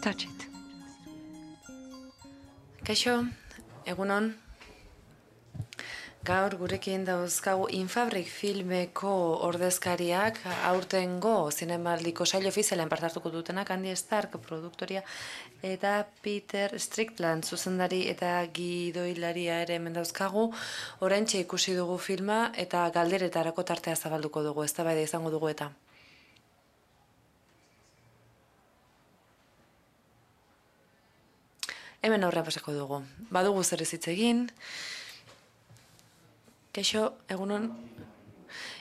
Touch it. Kaixo, egunon. Gaur gurekin dauzkagu Infabrik filmeko ordezkariak aurtengo zinemaldiko sail ofizialean parte hartuko dutenak, Andy Stark produktoria eta Peter Strickland zuzendari eta gidoilaria ere hemen dauzkagu. Oraintxe ikusi dugu filma eta galderetarako tartea zabalduko dugu, eztabaida izango dugu eta. Hemen aurrean pasako dugu. Badugu zer ez hitz egin. Kaixo, egunon.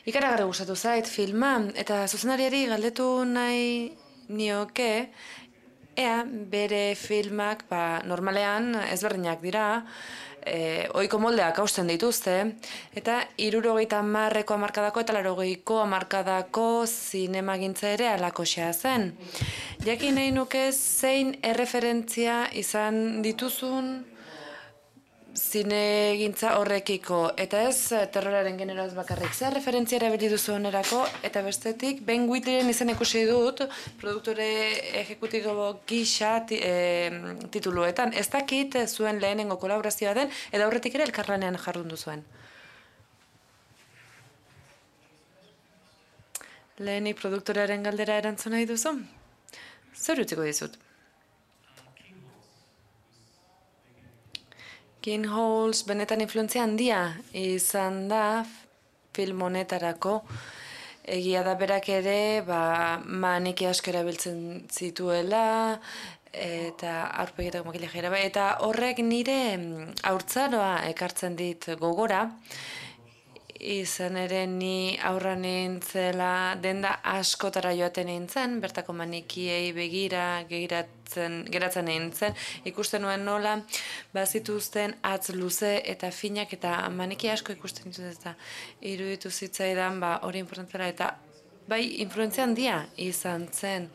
Ikaragarri gustatu zait filma eta zuzendariari galdetu nahi nioke ea bere filmak normalean ezberdinak dira, ohiko moldeak hausten dituzte, eta 70ko hamarkadako eta 80ko hamarkadako zinemagintza ere halakoxea zen. Jakin nahi nuke zein erreferentzia izan dituzun zinegintza horrekiko, eta ez terroraren generoaz bakarrik. Zer referentzia erabili duzu onerako, eta bestetik, Ben Wheatleyren izan ikusi dut, produktore ejekutibo gisa tituluetan. Ez dakit zuen lehenengo kolaborazioa den, edo aurretik ere elkarlanean jardun duzuen. Lehenik produktorearen galdera erantzun nahi duzu? Zer utziko dizut? King Halls benetan influentzia handia izan da film honetarako. Egia da berak ere maniki asko erabiltzen zituela eta aurpegietako makillajeera, eta horrek nire haurtzaroa ekartzen dit gogora. Izan ere ni aurra nintzela denda askotara joaten nintzen, bertako manikiei begira geratzen nintzen, ikusten nuen nola bazituzten atz luze eta finak eta maniki asko ikusten dituz eta iruditu zitzaidan hori importantela eta bai influentzia handia izan zen.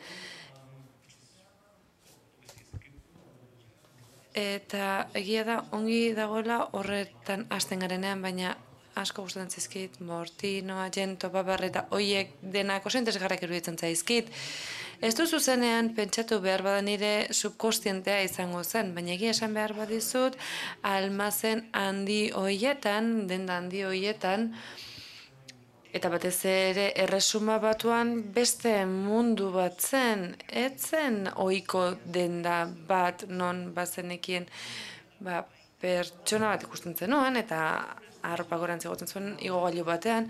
Eta egia da ongi dagoela horretan hasten garenean, baina asko gustatzen zaizkit, Mortino, Argento, Babar eta hoiek denak oso interesgarriak iruditzen zaizkit. Ez du zuzenean pentsatu behar bada nire subkostientea izango zen, baina egia esan behar badizut almazen handi hoietan, denda handi hoietan, eta batez ere erresuma batuan beste mundu bat zen, etzen ohiko denda bat non bazenekien pertsona bat ikusten zenuen, eta arropa gorantz egoten zuen igogailu batean,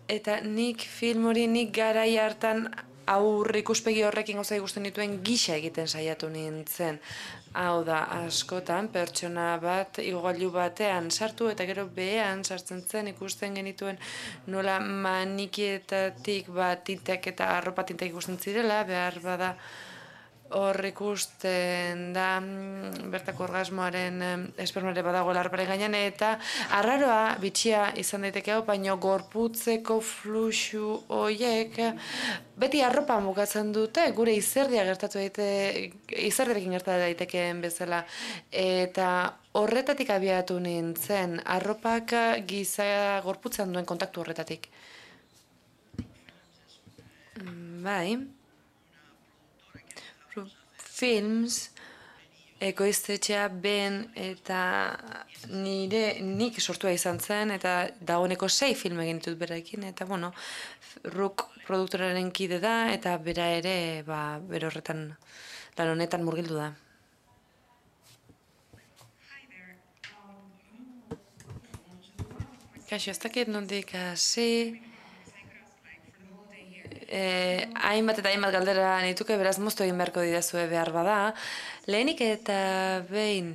eta nik film hori nik garai hartan aurre ikuspegi horrekin gauza ikusten dituen gisa egiten saiatu nintzen. Hau da, askotan, pertsona bat igogailu batean sartu eta gero behean sartzen zen ikusten genituen nola manikietatik tintak eta arropa tintak ikusten zirela, behar bada hor ikusten da bertako orgasmoaren espermare badagoela arroparen gainean, eta arraroa bitxia izan daiteke hau, baino gorputzeko fluxu horiek beti arropa bukatzen dute, gure izerdiarekin gertatu daitekeen bezala, eta horretatik abiatu nintzen, arropak giza gorputzean duen kontaktu horretatik. Bai. Films, ekoiztetxea Ben eta nik sortua izan zen, eta dagoeneko 6 film egin ditut berarekin, eta Rook produktoraren kide da, eta bera ere bere horretan lan honetan murgildu da. Kaixo, ez dakit nondik hasi. Hainbat eta hainbat galdera nituke, beraz moztu egin beharko didazue behar bada. Lehenik eta behin.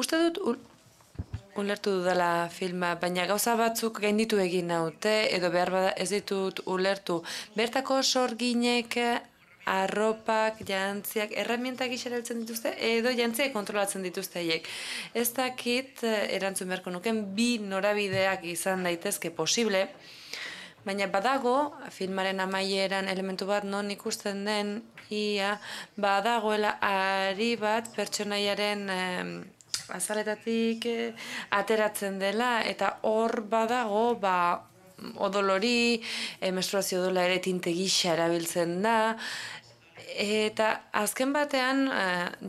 Uste dut ulertu dudala filma, baina gauza batzuk gainditu egin naute, edo behar bada ez ditut ulertu. Bertako sorginek arropak, jantziak, erramientak erabilitzen dituzte, edo jantziak kontrolatzen dituzte haiek. Ez dakit erantzun beharko nuken bi norabideak izan daitezke posible, baina badago, filmaren amaieran elementu bat non ikusten den, badagoela ari bat pertsonaiaren azaletatik ateratzen dela, eta hor badago odolori, menstruazio odola ere tinte gisa erabiltzen da, eta azken batean,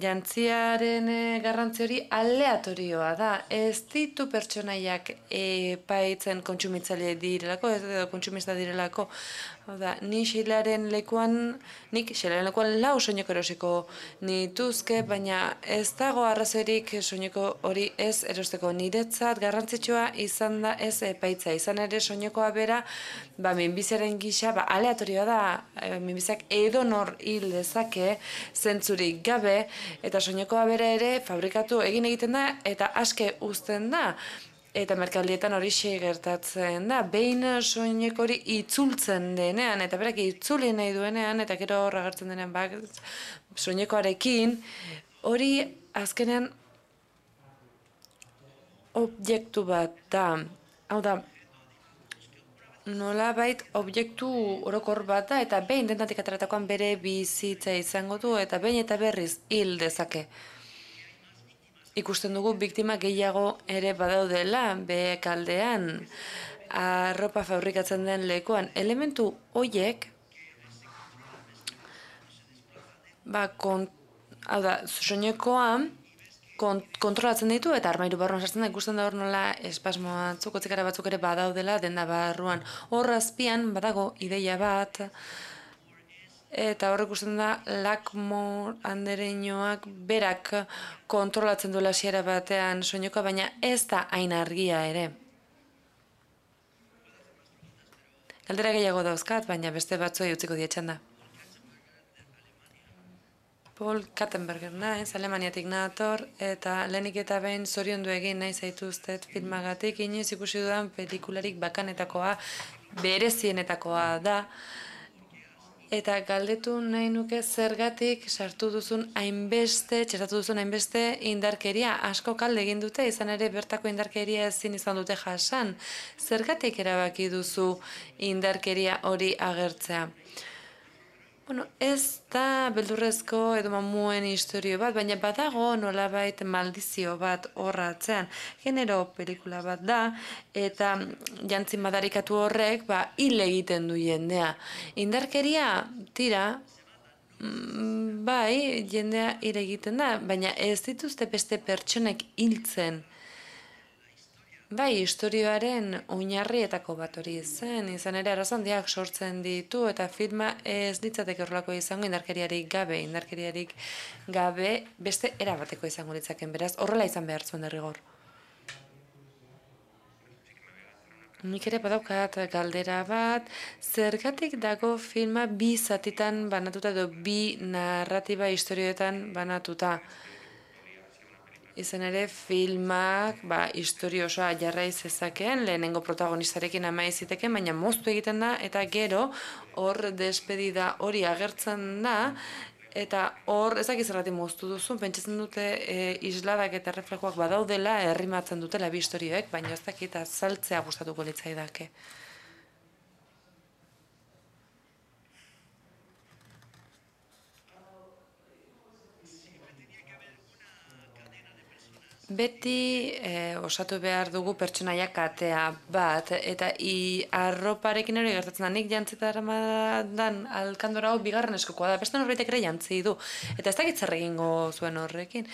jantziaren garrantzi hori aleatorioa da. Ez ditu pertsonaiak epaitzen kontsumitzaile direlako, edo kontsumista direlako. Hau da, nik xeilaren lekuan lau soineko erosiko nituzke, baina ez dago arrazoirik soineko hori ez erosteko. Niretzat garrantzitsua izan da ez epaitza. Izan ere soinekoa bera, minbiziaren gisa, aleatorioa da, minbiziak edonor hil dezake, zentzurik gabe, eta soinekoa bera ere fabrikatu egiten da, eta aske uzten da. Eta merkaldietan hori gertatzen da. Behin soineko hori itzultzen denean, eta berak itzuli nahi duenean, eta gero horra agertzen denean soinekoarekin, hori azkenean objektu bat da. Hau da, nolabait objektu orokor bat da, eta behin dentatik ateratakoan bere bizitza izango du, eta behin eta berriz hil dezake. Ikusten dugu biktima gehiago ere badaudela, behekaldean, arropa fabrikatzen den lekuan. Elementu horiek, hau da, soinekoa kontrolatzen ditu eta armairu barruan sartzen da, ikusten da hor nola espasmoa txukotzik batzuk ere badaudela denda barruan. Hor azpian badago ideia bat, eta hor ikusten da Lackmore andereñoak berak kontrolatzen duela hasiera batean soinekoa, baina ez da hain argia ere. Galdera gehiago dauzkat, baina beste batzuei utziko dietxan da. Paul Kattenberger naiz, Alemaniatik nator, eta lehenik eta behin zoriondu egin nahi zaituztet filmagatik, inoiz ikusi dudan pelikularik bakanetakoa, berezienetakoa da, eta galdetu nahi nuke zergatik txertatu duzun hainbeste indarkeria. Asko kalde egin dute, izan ere bertako indarkeria ezin izan dute jasan. Zergatik erabaki duzu indarkeria hori agertzea? Ez da beldurrezko edo mamuen historio bat, baina badago nolabait maldizio bat horratzean. Genero pelikula bat da, eta jantzin madarikatu horrek hil egiten du jendea. Indarkeria, tira, bai, jendea hil egiten da, baina ez dituzte beste pertsonek hiltzen. Bai, historioaren oinarrietako bat hori zen, izan ere arazo handiak sortzen ditu, eta filma ez litzateke horrelako izango indarkeriarik gabe beste erabateko izango litzaken, beraz, horrela izan behar zuen derrigor. Nik ere badaukat galdera bat, zergatik dago filma bi zatitan banatuta edo bi narratiba historioetan banatuta? Izan ere, filmak historio osoa jarrai zezakeen, lehenengo protagonistarekin amai ziteken, baina moztu egiten da, eta gero hor despedida hori agertzen da, eta hor ezak zergatik moztu duzu, pentsatzen dute isladak eta reflejoak badaudela, errimatzen dutela bi historioek, baina ez dakit azaltzea gustatuko litzaidake. Beti osatu behar dugu pertsonaia katea bat, eta arroparekin hori gertatzen da, nik jantzitaradan alkandora hau bigarren eskokoa da, beste norbaitek ere jantzi du, eta ez dakit zer egingo zuen horrekin.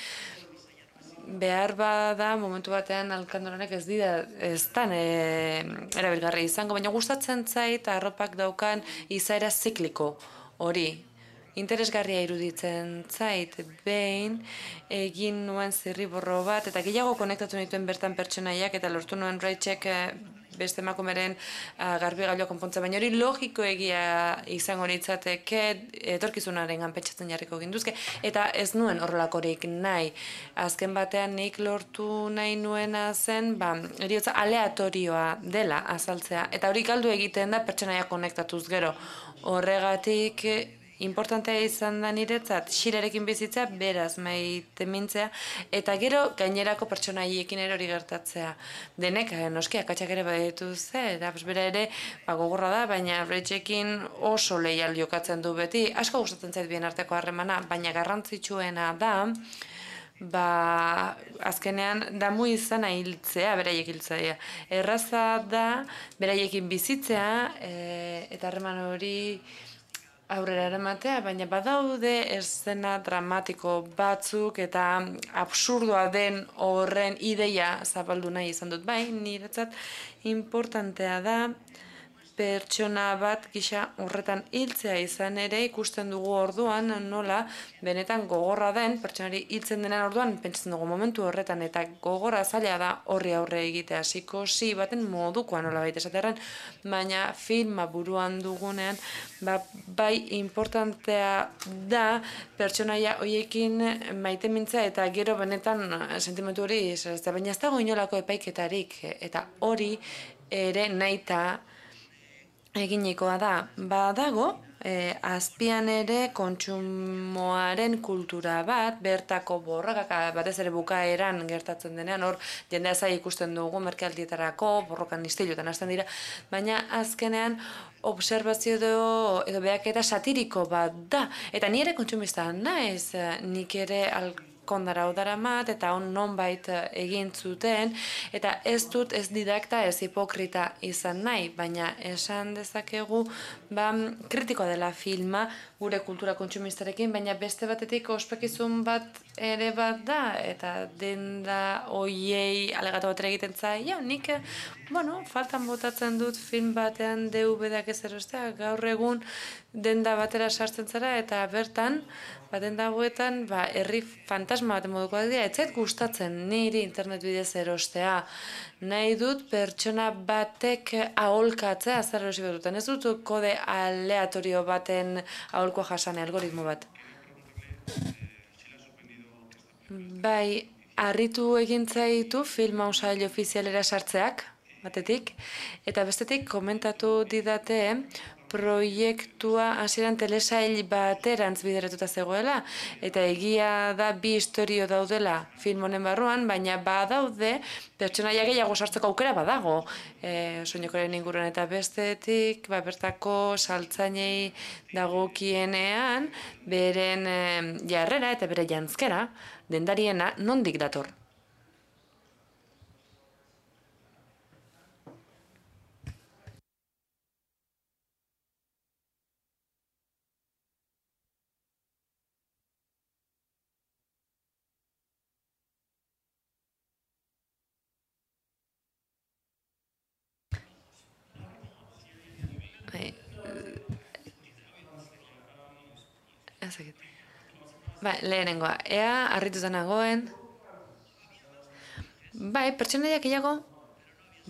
Behar bada, momentu batean alkandoranek ez dan erabilgarri izango, baina gustatzen zait arropak daukan izaera zikliko hori. Interesgarria iruditzen zait, behin egin nuen zirriborro bat, eta gehiago konektatu nituen bertan pertsonaiak, eta lortu nuen Raichek beste emakumeren garbigailua konpontza, baina hori logiko egia izango litzateke etorkizunaren pentsatzen jarriko ginduzke, eta ez nuen horrelakorik nahi. Azken batean nik lortu nahi nuena zen, eriotza aleatorioa dela azaltzea, eta hori galdu egiten da pertsonaia konektatuz gero. Horregatik importantea izan da niretzat, Xirerekin bizitza, beraz maite mintzea, eta gero gainerako pertsonaiekin ere hori gertatzea. Denek, noski, akatsak ere baditu eta bera ere gogorra da, baina Raichekin oso leial jokatzen du beti. Asko gustatzen zait bien arteko harremana, baina garrantzitsuena da, azkenean damu izana hiltzea, beraiek hiltzea. Erraza da beraiekin bizitzea eta harreman hori aurrera eramatea, baina badaude eszena dramatiko batzuk eta absurdoa den horren ideia zabaldu nahi izan dut. Bai, niretzat importantea da pertsona bat gisa horretan hiltzea izan ere ikusten dugu orduan nola benetan gogorra den pertsonari hiltzen denen orduan pentsatzen dugu momentu horretan eta gogorra zaila da horri aurre egitea psikosi baten modukoa nola baita esaterran, baina filma buruan dugunean bai importantea da pertsonaia hoiekin maite mintzea eta gero benetan sentimentu hori baina ez dago inolako epaiketarik eta hori ere nahita eginikoa da, badago, azpian ere kontsumoaren kultura bat, bertako borrokak, batez ere bukaeran gertatzen denean, hor jendea zai ikusten dugu merkealdietarako, borrokan istiluetan hasten dira, baina azkenean observazio edo behaketa satiriko bat da, eta ni ere kontsumista naiz, nik ere kondara udaramat eta on nonbait egin zuten eta ez dut ez didakta ez hipokrita izan nahi, baina esan dezakegu kritikoa dela filma gure kultura kontsumistarekin, baina beste batetik ospekizun bat ere bat da eta denda hoiei alegatu bat egiten zaio, nik faltan botatzen dut film batean DVD-ak ez erostea, gaur egun denda batera sartzen zara eta bertan denda hauetan herri fantasma baten moduko dira, ez zait gustatzen niri internet bidez erostea. Nahi dut pertsona batek aholkatzea zer erosi bat duten. Ez dut kode aleatorio baten aholkoa jasane, algoritmo bat. Bai, harritu egin zaitu film sail ofizialera sartzeak, batetik, eta bestetik komentatu didate proiektua hasieran telesail baterantz bideratuta zegoela, eta egia da bi istorio daudela film honen barruan, baina badaude pertsonaia gehiago sartzeko aukera badago soinekoren inguruan, eta bestetik bertako saltzainei dagokienean beren jarrera eta bere janzkera dendariena nondik dator. Lehenengoa, ea harrituta nagoen. Bai, pertsonaiak gehiago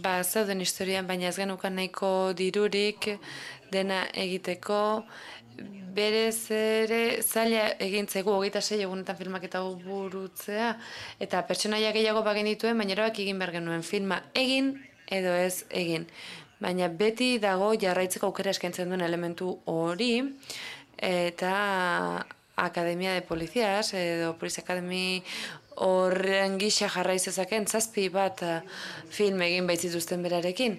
zauden historian, baina ez genukan nahiko dirurik dena egiteko. Berez ere zaila egintzegu 26 egunetan filmaketa burutzea, eta pertsonaia gehiago bagenituen, baina erabak egin behar genuen filma egin edo ez egin. Baina beti dago jarraitzeko aukera eskaintzen duen elementu hori, eta Akademia de Polizias edo Police Academy horren gisa jarraizezaken 7 bat film egin baitzituzten berarekin.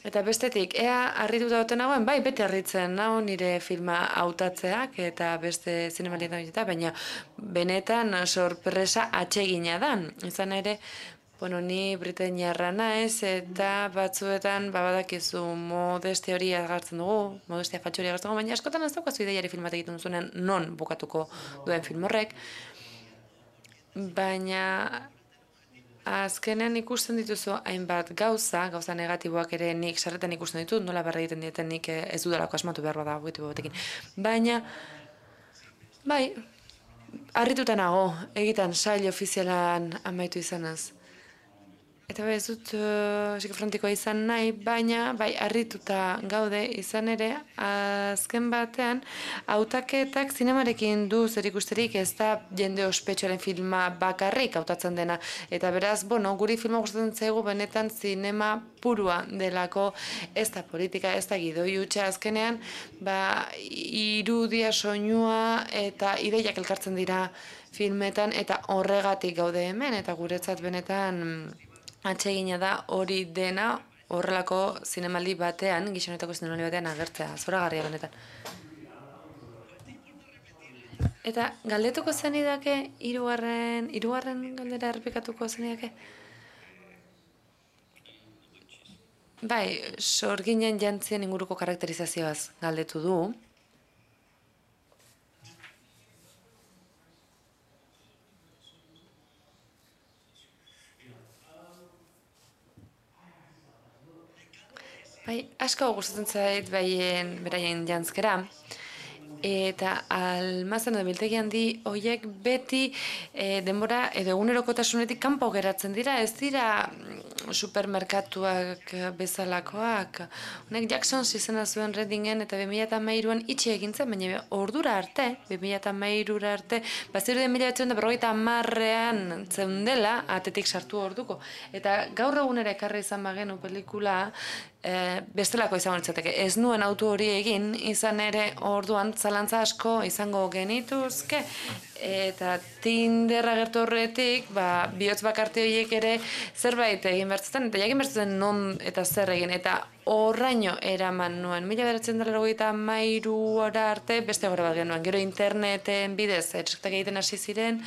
Eta bestetik, ea harrituta duten nagoen, bai, bete harritzen nago nire filma hautatzeak eta beste zinemalietan eta, baina benetan sorpresa atsegina da. Izan ere, ni britainiarra naiz eta batzuetan badakizu modeste hori agertzen dugu, modestia fatxo hori agertzen dugu, baina askotan ez daukazu ideiari filmat egiten duzunen non bukatuko duen film horrek. Baina azkenean ikusten dituzu hainbat gauza negatiboak ere nik sarretan ikusten ditut, nola berra egiten dieten nik ez dudalako asmatu behar bada objektibo batekin. Baina, bai, harrituta nago, egiten sail ofizialan amaitu izanaz. Eta bai ez dut psikofrontikoa izan nahi, baina bai harrituta gaude izan ere, azken batean, hautaketak zinemarekin du zer ikusterik ez da jende ospetsuaren filma bakarrik hautatzen dena. Eta beraz, guri filma gustatzen zaigu benetan zinema purua delako, ez da politika, ez da gidoi hutsa azkenean, irudia, soinua eta ideiak elkartzen dira filmetan, eta horregatik gaude hemen, eta guretzat benetan atsegina da hori dena horrelako zinemaldi batean, gizonetako zinemaldi batean agertzea, zoragarria benetan. Eta galdetuko zenidake, hirugarren galdera errepikatuko zenidake? Bai, sorginen jantzien inguruko karakterizazioaz galdetu du. Bai, asko gustatzen zait beraien jantzkera. Eta almazen edo biltegi handi horiek beti denbora edo egunerokotasunetik kanpo geratzen dira, ez dira supermerkatuak bezalakoak. Honek Jacksons izena zuen Reddingen eta 2013an itxi egin zen, baina ordura arte, 2013 arte, bazirudien 1950ean zeundela atetik sartu orduko. Eta gaur egunera ekarri izan bagenu pelikula, bestelako izango litzateke. Ez nuen autu hori egin, izan ere orduan zalantza asko izango genituzke, eta Tinder agertu horretik, bihotz bakarte horiek ere zerbait egin bertzen, eta jakin bertzen non eta zer egin, eta horraino eraman nuen. 1993 arte beste gora bat genuen. Gero interneten bidez etxektak egiten hasi ziren,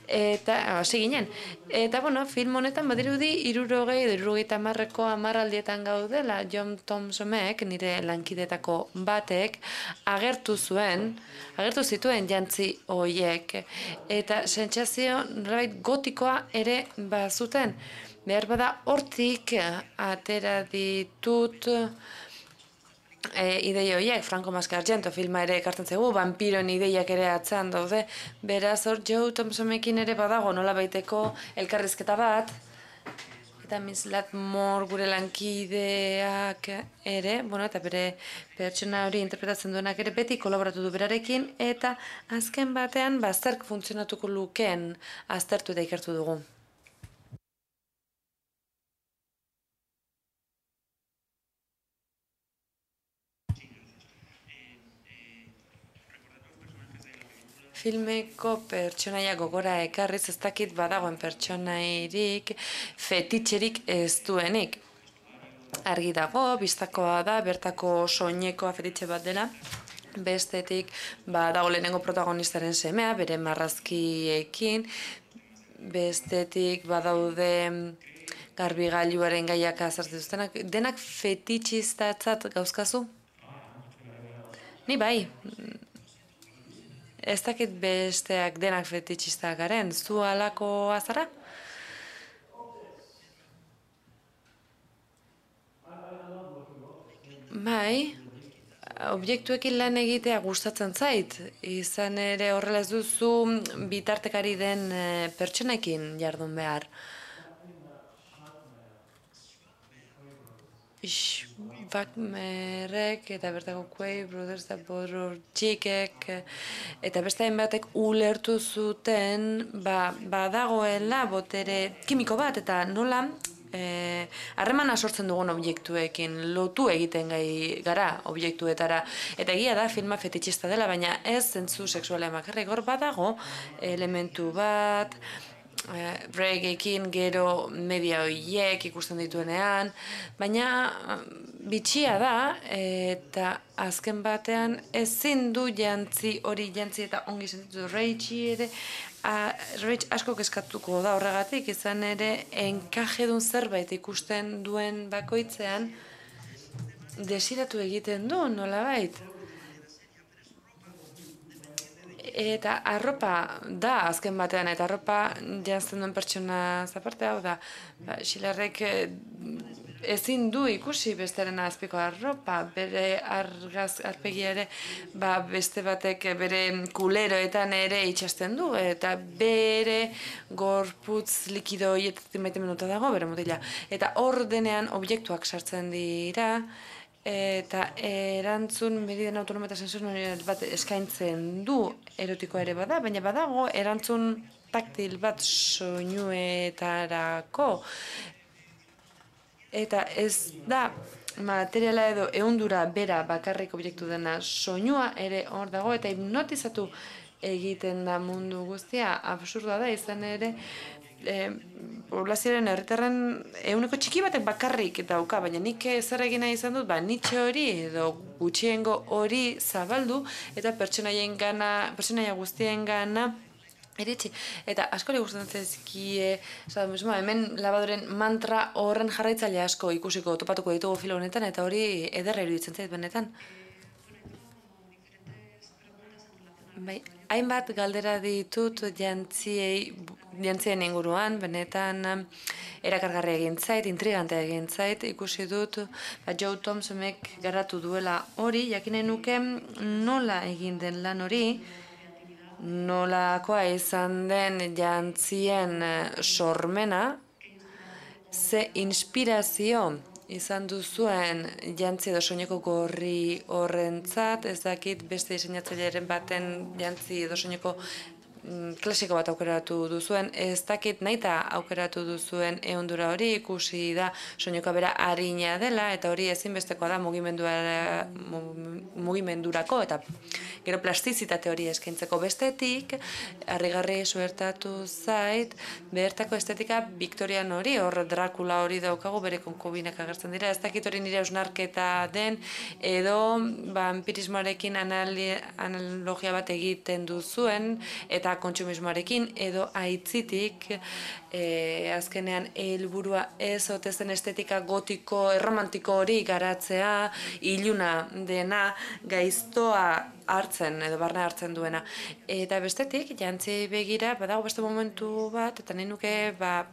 eta hasi ginen. Eta, film honetan badirudi 60-70ko hamarraldietan gaudela. John Thompsonek, nire lankidetako batek, agertu zituen jantzi horiek. Eta sentsazio nolabait gotikoa ere bazuten. Behar bada hortik atera ditut ideia horiek, Franco Mascargento filma ere ekartzen zaigu, vampiroen ideiak ere atzean daude. Beraz hor Joe Thompsonekin ere badago nolabaiteko elkarrizketa bat, eta Miss Latmore gure lankideak ere, eta bere pertsona hori interpretatzen duenak ere beti kolaboratu du berarekin, eta azken batean zerk funtzionatuko lukeen aztertu eta ikertu dugu. Filmeko pertsonaia gogora ekarriz ez dakit badagoen pertsonairik fetitxerik ez duenik. Argi dago, bistakoa da, bertako soinekoa fetitxe bat dela. Bestetik dago lehenengo protagonistaren semea, bere marrazkiekin. Bestetik badaude garbigailuaren gaiak azartzen duztenak. Denak fetitxistatzat gauzkazu? Ni bai. Ez dakit besteak denak fetitxistak garen, zu alako azara? Bai, objektuekin lan egitea gustatzen zait, izan ere horrela ez duzu bitartekari den pertsonekin jardun behar. Wagnerrek eta bertako Quay Brothers eta Borortxikek eta beste hainbatek ulertu zuten badagoela botere kimiko bat eta nola harremana sortzen dugun objektuekin, lotu egiten gara objektuetara. Eta egia da filma fetitxista dela, baina ez zentzu seksualean bakarrik hor badago elementu bat, reggaekin gero media horiek ikusten dituenean, baina bitxia da eta azken batean ezin du jantzi eta ongi sentitu Rachel ere, Rachel asko kezkatuko da horregatik, izan ere enkajedun zerbait ikusten duen bakoitzean desiratu egiten du nolabait. Eta arropa da azken batean, eta arropa janzten duen pertsona zaparte hau da. Xilarrek ezin du ikusi bestearen azpiko arropa, bere arpegia ere beste batek bere kuleroetan ere itxasten du, eta bere gorputz likido hietatik maite minuta dago, bere mutila. Eta hor denean objektuak sartzen dira, eta erantzun mediden autonoma eta sensorial bat eskaintzen du erotikoa ere bada, baina badago erantzun taktil bat soinuetarako. Eta ez da materiala edo ehundura bera bakarrik objektu dena, soinua ere hor dago eta hipnotizatu egiten da mundu guztia. Absurda da izan ere poblazioaren herritarren ehuneko txiki batek bakarrik dauka, baina nik zer egin nahi izan dut, nitxe hori edo gutxiengo hori zabaldu eta pertsonaia guztien gana iritsi. Eta askori gustatzen zaizkie, hemen labadoren mantra horren jarraitzaile asko ikusiko topatuko ditugu filo honetan, eta hori ederra iruditzen zait benetan. Bai, hainbat galdera ditut jantzien inguruan, benetan erakargarria egin zait, intrigantea egin zait, ikusi dut Joe Thompsonek garatu duela hori, jakin nahi nuke nola egin den lan hori, nolakoa izan den jantzien sormena, ze inspirazio izan duzuen jantzi edo soineko gorri horrentzat, ez dakit beste diseinatzaileren baten jantzi edo soineko klasiko bat aukeratu duzuen, ez dakit nahita aukeratu duzuen ehundura hori, ikusi da soinekoa bera arina dela, eta hori ezinbestekoa da mugimendurako, eta gero plastizitate hori eskaintzeko bestetik, harrigarri suertatu zait, bertako estetika Victorian hori, hor Dracula hori daukagu, bere konkobinak agertzen dira, ez dakit hori nire ausnarketa den, edo vampirismoarekin analogia bat egiten duzuen, eta kontsumismoarekin, edo aitzitik, azkenean helburua ez ote zen estetika gotiko, erromantiko hori garatzea, iluna dena, gaiztoa hartzen, edo barne hartzen duena. Eta bestetik, jantzi begira, badago beste momentu bat, eta nahi nuke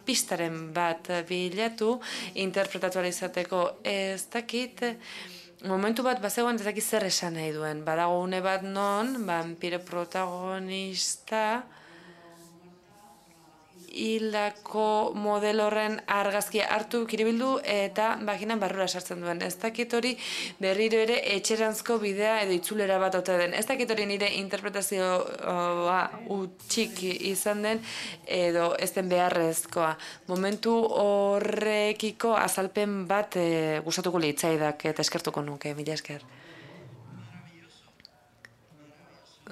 pistaren bat bilatu, interpretatu izateko, ez dakit, momentu bat bazegoen ez dakit zer esan nahi duen. Badago une bat non, vampire protagonista, hildako model horren argazkia hartu kiribildu eta baginan barrura sartzen duen. Ez dakit hori berriro ere etxeranzko bidea edo itzulera bat ote den. Ez dakit hori nire interpretazioa utxik izan den edo ez den beharrezkoa. Momentu horrekiko azalpen bat gustatuko litzaidak eta eskertuko nuke, mila esker.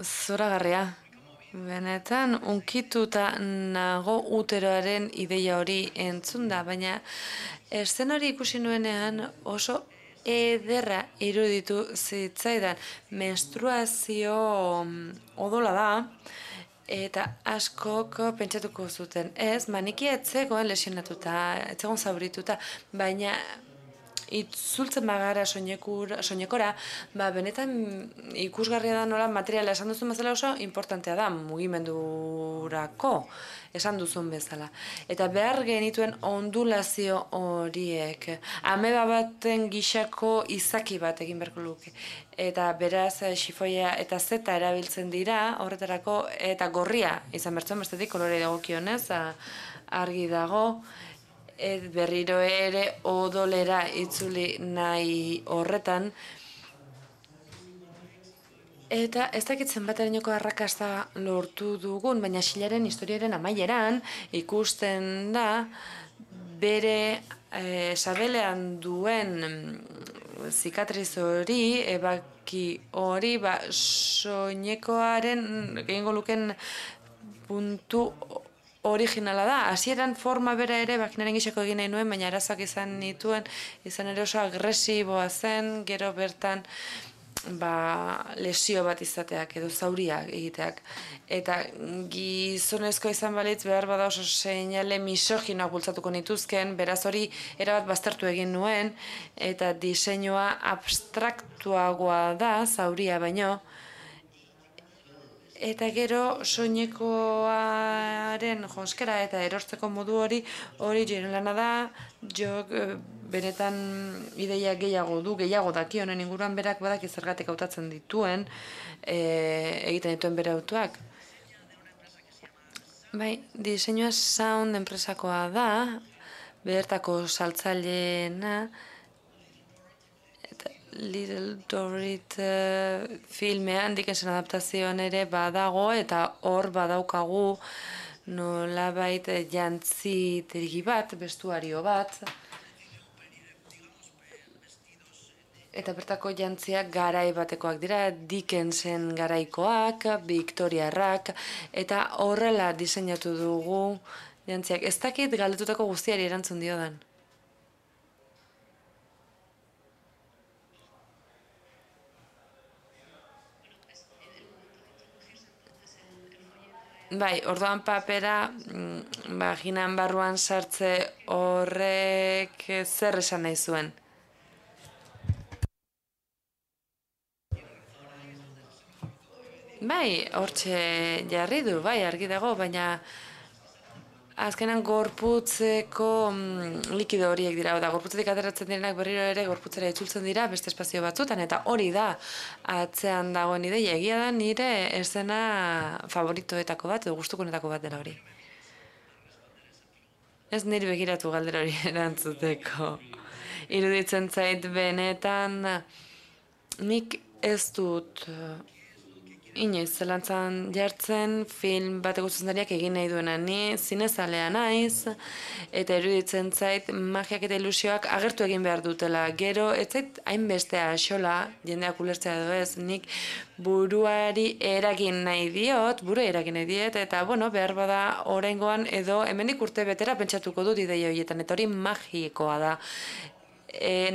Zoragarria. Benetan, unkituta nago uteroaren ideia hori entzunda, baina eszen hori ikusi nuenean oso ederra iruditu zitzaidan. Menstruazio odola da, eta askok pentsatuko zuten. Ez, manikia etzegoen lesionatuta, etzegoen zaurituta, baina itzultzen bagara soinekora, benetan ikusgarria da nola materiala esan duzun bezala oso importantea da mugimendurako esan duzun bezala. Eta behar genituen ondulazio horiek, ameba baten gixako izaki bat egin beharko luke. Eta beraz xifoia eta zeta erabiltzen dira horretarako, eta gorria izan bertzen bestetik kolore dagokionez argi dago, berriro ere odolera itzuli nahi horretan. Eta ez dakit zenbaterainoko arrakasta lortu dugun, baina Xilaren historiaren amaieran ikusten da bere sabelean duen zikatriz hori, ebaki hori, soinekoaren gehiengo luken puntu originala da. Hasieran forma bera ere baginaren gixako egin nahi nuen, baina arazoak izan nituen, izan ere oso agresiboa zen, gero bertan lesio bat izateak edo zauriak egiteak. Eta gizonezko izan balitz behar bada oso seinale misoginoak bultzatuko nituzken, beraz hori erabat baztertu egin nuen, eta diseinua abstraktuagoa da, zauria baino, eta gero soinekoaren jonskera eta erortzeko modu hori lana da, benetan ideia gehiago daki honen inguruan berak badaki zergatik hautatzen dituen, egiten dituen bere autoak. Bai, diseinua Sound enpresakoa da, bertako saltzaileena, Little Dorrit filmean Dickensen adaptazioan ere badago, eta hor badaukagu nolabait jantzi tergi bat, bestuario bat, eta bertako jantziak garai batekoak dira, Dickensen garaikoak, Victoriarrak, eta horrela diseinatu dugu Jantziak, ez dakit galdetutako guztiari erantzun diodan. Bai, orduan papera, vaginan barruan sartze horrek zer esan nahi zuen? Bai, hortxe jarri du, bai, argi dago, baina azkenan gorputzeko likido horiek dira, da gorputzetik ateratzen direnak berriro ere gorputzera itzultzen dira beste espazio batzutan, eta hori da atzean dagoen ideia, egia da nire eszena favoritoetako bat, edo gustukonetako bat dela hori. Ez niri begiratu galdera hori erantzuteko. Iruditzen zait benetan, nik ez dut inoiz zelantzan jartzen film bateko zuzendariak egin nahi duena. Ni zinezalea naiz, eta iruditzen zait magiak eta ilusioak agertu egin behar dutela. Gero, ez zait hainbeste axola, jendeak ulertzea edo ez, nik buruari eragin nahi diot, eta bueno, behar bada oraingoan edo hemendik urte betera pentsatuko dut ideia horietan, eta hori magikoa da.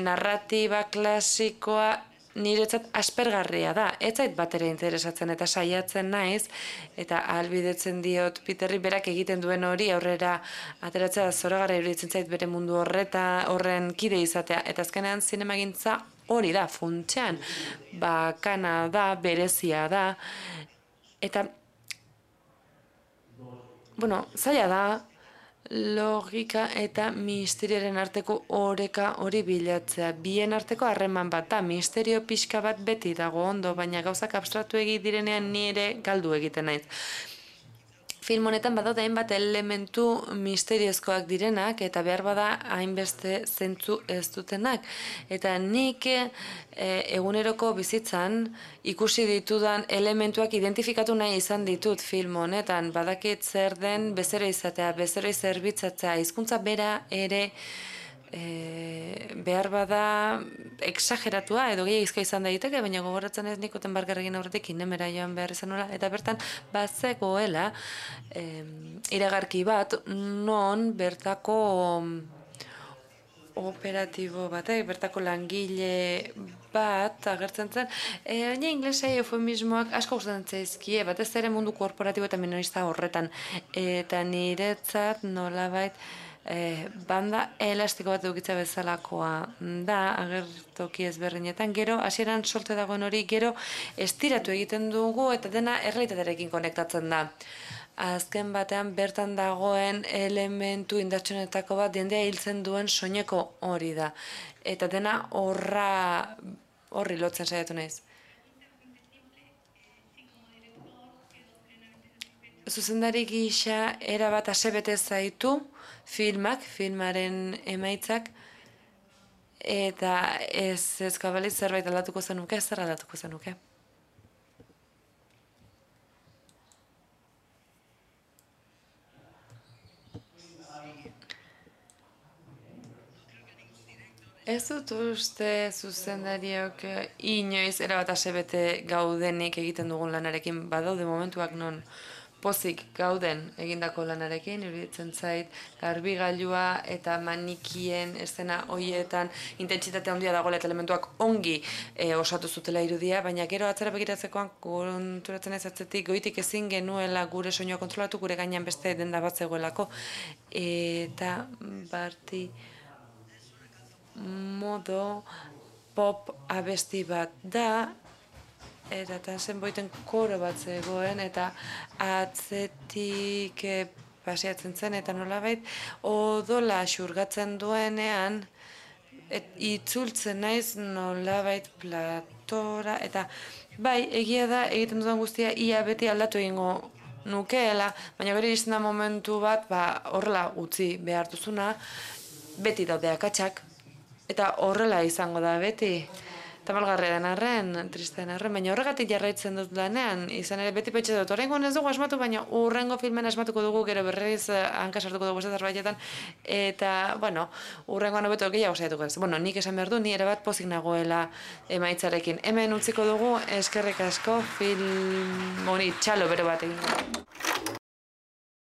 Narratiba klasikoa niretzat aspergarria da, ez zait batera interesatzen eta saiatzen naiz, eta ahalbidetzen diot Peterri berak egiten duen hori aurrera ateratzea zoragarria iruditzen zait bere mundu horren kide izatea, eta azkenean zinemagintza hori da, funtsean, bakana da, berezia da, eta, bueno, zaila da, logika eta misterioaren arteko oreka hori bilatzea. Bien arteko harreman bat da, misterio pixka bat beti dago ondo, baina gauzak abstraktu direnean nire galdu egiten naiz. Film honetan badaude hainbat elementu misteriozkoak direnak eta behar bada hainbeste zentzu ez dutenak. Eta nik eguneroko bizitzan ikusi ditudan elementuak identifikatu nahi izan ditut film honetan. Badakit zer den bezero izatea, bezero zerbitzatzea, hizkuntza bera ere behar bada exageratua edo gehiagizka izan daiteke, baina gogoratzen ez nik Otenbargerrekin aurretik Inemera joan behar izan nola, eta bertan bazegoela iragarki bat non bertako operatibo batek, bertako langile bat agertzen zen, baina inglesei eufemismoak asko gustatzen zaizkie, batez ere mundu korporatibo eta minorista horretan, eta niretzat nolabait banda elastiko bat dukitza bezalakoa da, agertoki ezberdinetan, gero hasieran solte dagoen hori, gero estiratu egiten dugu eta dena errealitatearekin konektatzen da. Azken batean bertan dagoen elementu indartsunetako bat jendea hiltzen duen soineko hori da. Eta dena horri lotzen saiatu naiz. Zuzendari gisa erabat asebete zaitu filmaren emaitzak, eta ez kabaliz zerbait aldatuko zenuke, zer aldatuko zenuke? Ez dut uste zuzendariok inoiz erabat asebete gaudenik egiten dugun lanarekin, badaude momentuak non pozik gauden egindako lanarekin, iruditzen zait garbigailua eta manikien eszena horietan intentsitate handia dagoela eta elementuak ongi osatu zutela irudia, baina gero atzera begiratzekoan konturatzen ez atzetik goitik ezin genuela gure soinua kontrolatu, gure gainean beste denda bat zegoelako, eta barti modo pop abesti bat da, eta zenboiten koro bat zegoen, eta atzetik paseatzen zen, eta nolabait odola xurgatzen duenean, itzultzen naiz nolabait platora, eta bai, egia da, egiten dudan guztia, ia beti aldatu egingo nukeela, baina gero iristen da momentu bat, horrela utzi behar duzuna, beti daude akatsak, eta horrela izango da beti. Tamalgarria den arren, triste den arren, baina horregatik jarraitzen dut lanean, izan ere beti pentsa dut, oraingoan ez dugu asmatu, baina urrengo filmen asmatuko dugu, gero berriz hanka sartuko dugu zerbaitetan, eta, bueno, urrengoan hobeto gehiago saiatuko ez. Bueno, nik esan behar du, ni ere bat pozik nagoela emaitzarekin. Hemen utziko dugu, eskerrik asko, film honi txalo bero bat egin.